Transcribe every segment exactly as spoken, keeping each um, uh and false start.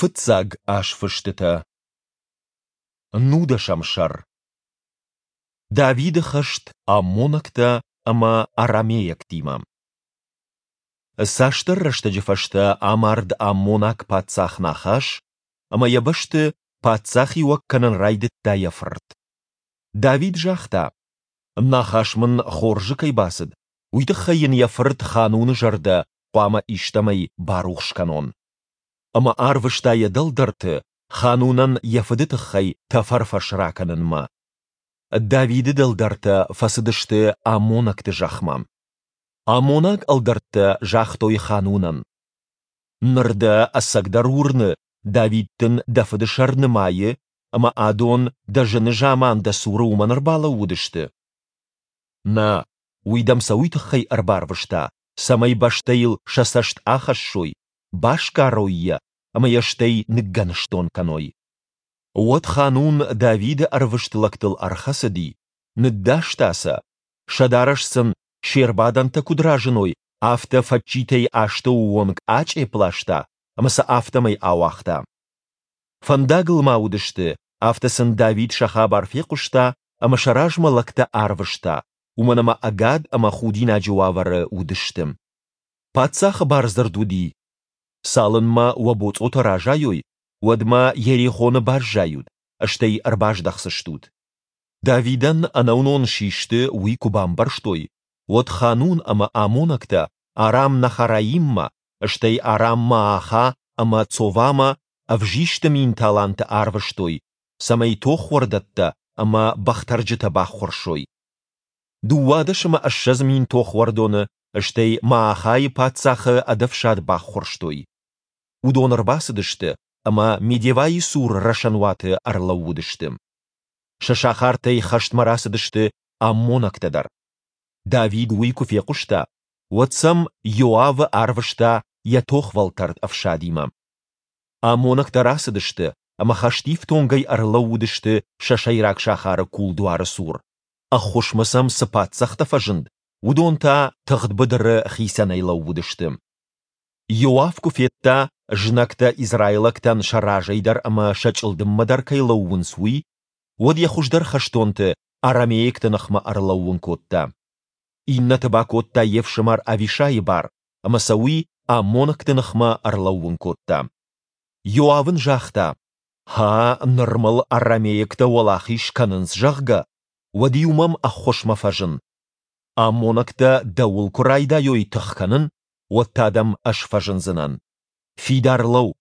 Фыццаг азфыстытӕ. Нудӕсӕм сӕр. Давиды хӕст аммонӕгтӕ ӕмӕ арамейӕгтимӕ. Цасдӕр рӕстӕджы фӕстӕ амард аммонаг паддзах Нахаш, ӕмӕ йӕ бӕсты паддзахиуӕг кӕнын райдыдта йӕ фырт. Давид загъта: Нахаш мын хорзы кӕй бацыд, уый тыххӕй йын йӕ фырт Хануны зӕрдӕ хъуамӕ истӕмӕй барухс кӕнон. Ӕмӕ арвыста йӕ дӕлдӕрты Ханунӕн йӕ фыды тыххӕй тӕфӕрфӕс ракӕнынмӕ. Давиды дӕлдӕртӕ фӕцыдысты аммонӕгты зӕхмӕ. Аммонаг ӕлдӕрттӕ загътой Ханунӕн: Ныр дӕ ӕцӕгдӕр уырны, Давид дын дӕ фыды сӕр нымайы, ӕмӕ адон дӕ зыны заман дӕ цуры уымӕн ӕрбалӕууыдысты? Нӕ, уый дӕм сӕ уый тыххӕй ӕрбарвыста, цӕмӕй бӕстӕйыл сӕ цӕст ахӕссой, басгарой йӕ ӕмӕ йӕ стӕй ныггӕныстон кӕной. Уӕд Ханун Давиды ӕрвыст лӕгтыл ӕрхӕцыди, ныддаста сӕ, сӕ дарӕс сын се рбадӕнтӕ куыд разыной, афтӕ фӕччитӕй астӕуы онг ачъепп ласта ӕмӕ сӕ афтӕмӕй ауагъта. Фӕндагыл ма уыдысты, афтӕ сын Давид сӕ хабар фехъуыста ӕмӕ сӕ размӕ лӕгтӕ арвыста, уымӕн ӕмӕ ӕгад ӕмӕ худинаджы уавӕры уыдысты. Паддзахы бардзырд уыди: Цалынмӕ уӕ боцъотӕ разайой, уӕдмӕ Йерихоны баззайут, стӕй ӕрбаздӕхдзыстут. Давидӕн ӕнӕуынон систы, уый куы бамбӕрстой, уӕд Ханун ӕмӕ аммонӕгтӕ Арам-Нахараиммӕ, стӕй Арам-Мааха ӕмӕ Цовамӕ ӕвзисты мин таланты арвыстой, цӕмӕй тохуӕрдӕттӕ ӕмӕ бӕхтӕрджытӕ баххуырсой. Дыууадӕс ӕмӕ ссӕдз мин тохуӕрдоны, стӕй Маахайы паддзахы ӕдӕфсад баххуырстой. Уыдон ӕрбацыдысты ӕмӕ Медевайы цур рӕсӕнуаты ӕрлӕууыдысты. Сӕ сахартӕй хӕстмӕ рацыдысты аммонӕгтӕ дӕр. Давид уый куы фехъуыста, уӕд сӕм Иоавы арвыста йӕ тохвӕлтӕрд ӕфсадимӕ. Аммонӕгтӕ рацыдысты ӕмӕ хӕстифтонгӕй ӕрлӕууыдысты сӕ сӕйраг сахары кулдуары цур. Ӕххуысмӕ сӕм цы паддзӕхтӕ фӕзынд, уыдон та тыгъд быдыры хицӕнӕй лӕууыдысты. Иоав куы федта, знӕгтӕ израилӕгтӕн сӕ разӕй дӕр ӕмӕ сӕ чъылдыммӕ дӕр кӕй лӕууынц, уый, уӕд йӕ хуыздӕр хӕстонты арамейӕгты ныхмӕ ӕрлӕууын кодта. Иннӕты бакодта йе фсымӕр Авишайы бар, ӕмӕ сӕ уый аммонӕгты ныхмӕ ӕрлӕууын кодта. Иоав ын загъта: Ха, ныр мыл арамейӕгтӕ уӕлахиз кӕнынц, зӕгъгӕ, уӕд-иу мӕм ӕххуысмӕ фӕзын. Аммонӕгтӕ дӕуыл куы райдайой тых кӕнын, уӕд та дӕм ӕз фӕзындзынӕн. Фидар лӕуу,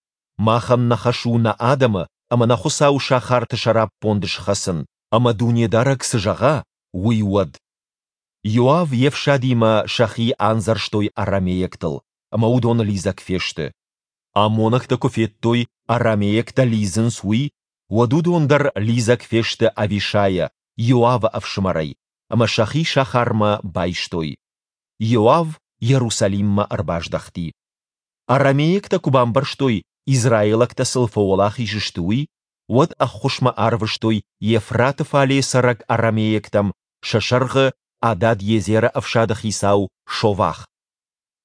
махӕн нӕ хӕс у нӕ адӕмы ӕмӕ нӕ Хуыцауы сахарты сӕраппонд схӕцын, ӕмӕ Дунедарӕг цы зӕгъа, уый уӕд. Иоав йе фсадимӕ сӕхи андзӕрстой арамейӕгтыл, ӕмӕ уыдон лидзӕг фесты. Аммонӕгтӕ куы федтой, арамейӕгтӕ лидзынц, уый, уӕд уыдон дӕр лидзӕг фесты Авишайӕ, Иоавы ӕфсымӕрӕй, ӕмӕ сӕхи сахармӕ байстой. Иоав Иерусалиммӕ ӕрбаздӕхти. Арамейӕгтӕ куы бамбӕрстой, израилӕгтӕ сыл фӕуӕлахиз сты, уый, уӕд ӕххуысмӕ арвыстой Евфраты фале цӕрӕг арамейӕгтӕм, сӕ сӕргъы Адад-Езеры ӕфсады хицау Шовах.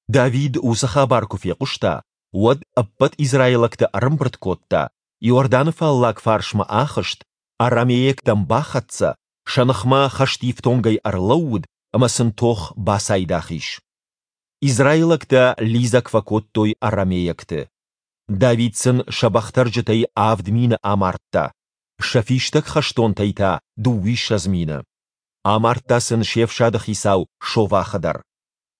Давид уыцы хабар куы фехъуыста, уӕд ӕппӕт израилӕгты ӕрӕмбырд кодта, Иорданы фаллаг фарсмӕ ахызт, арамейӕгтӕм бахӕццӕ, сӕ ныхмӕ хӕстифтонгӕй ӕрлӕууыд ӕмӕ сын тох бацайдагъ ис. Израилӕгтӕ лидзӕг фӕкодтой арамейӕгты. Давид сын сӕ бӕхтӕрджытӕй авд мины амардта, сӕ фистӕг хӕстонтӕй та дыууиссӕдз мины. Амардта сын се фсады хицау Шовахы дӕр.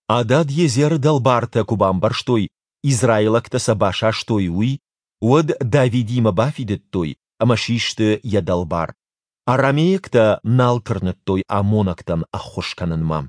Адад-Езеры дӕлбартӕ куы бамбӕрстой, израилӕгтӕ сӕ басастой, уый, уӕд Давидимӕ бафидыдтой ӕмӕ систы йӕ дӕлбар. Арамейӕгтӕ нал тырныдтой аммонӕгтӕн ӕххуыс кӕнынмӕ.